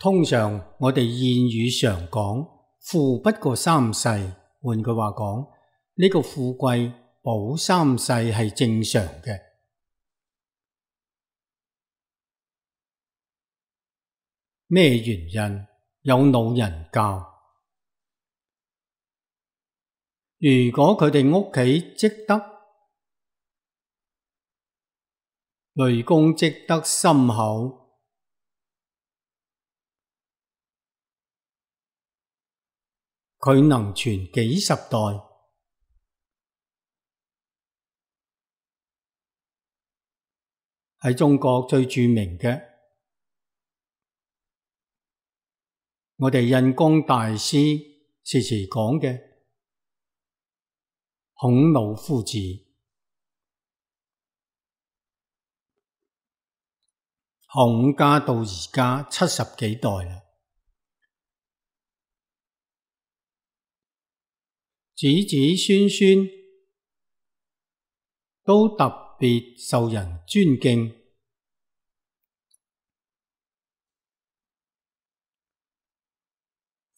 通常我哋諺語常講富不過三世，換句話講，呢個富貴保三世係正常嘅。咩原因？有老人教。如果佢哋屋企積德，累功積德深厚，佢能傳幾十代。喺中國最著名嘅，我哋印光大師時時講嘅孔老夫子，孔家到而家70幾代啦，子子孫孫都特別受人尊敬。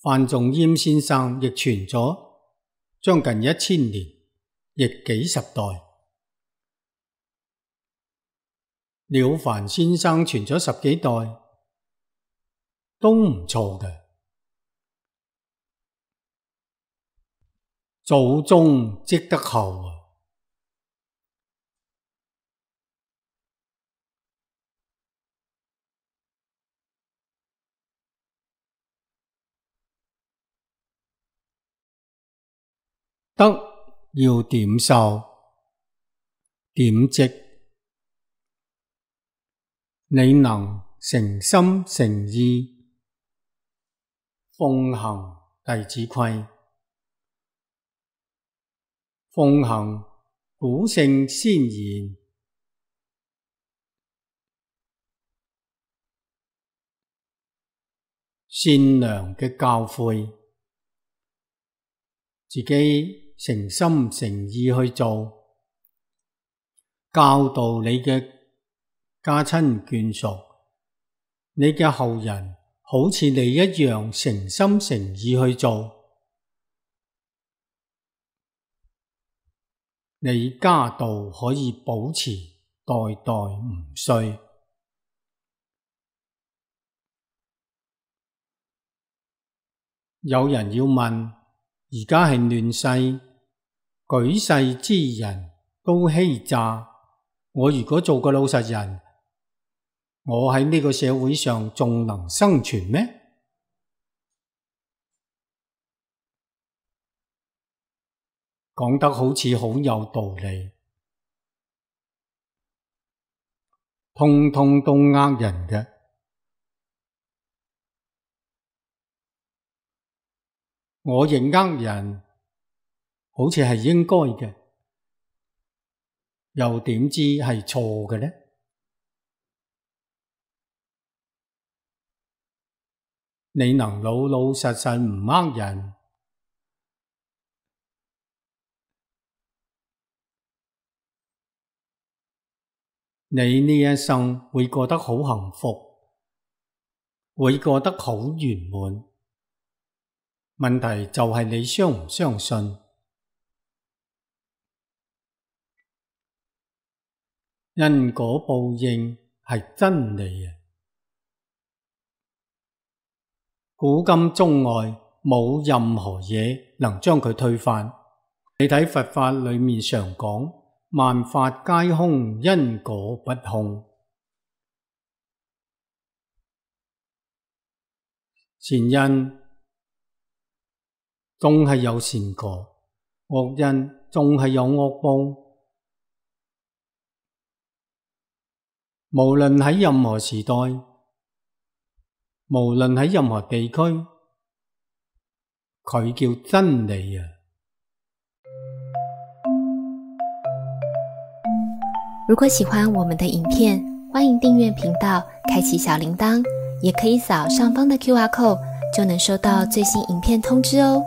范仲淹先生亦傳咗將近1000年，亦幾十代。了凡先生傳咗10幾代，都唔錯嘅。祖宗積德厚啊！德要點受點積，你能誠心誠意奉行弟子規，奉行古聖先賢，善良嘅教誨，自己誠心誠意去做，教導你嘅家親眷屬，你嘅後人好似你一樣誠心誠意去做，你家道可以保持代代唔衰。有人要問，而家係亂世，舉世之人都欺詐，我如果做個老實人，我喺呢個社會上仲能生存咩？講得好似好有道理，通通都呃人嘅。我認呃人，好似係應該嘅，又點知係錯嘅呢？你能老老實實唔呃人，你呢一生會過得好幸福，會過得好圓滿。問題就係你相唔相信？因果報應係真理啊！古今中外冇任何嘢能將佢推翻。你睇佛法裏面常講，萬法皆空，因果不空。善因總係有善果，惡因總係有惡報。無論喺任何時代，無論喺任何地區，佢叫真理啊！如果喜歡我們的影片，歡迎訂閱頻道，開啟小鈴鐺，也可以掃上方的QR code，就能收到最新影片通知哦。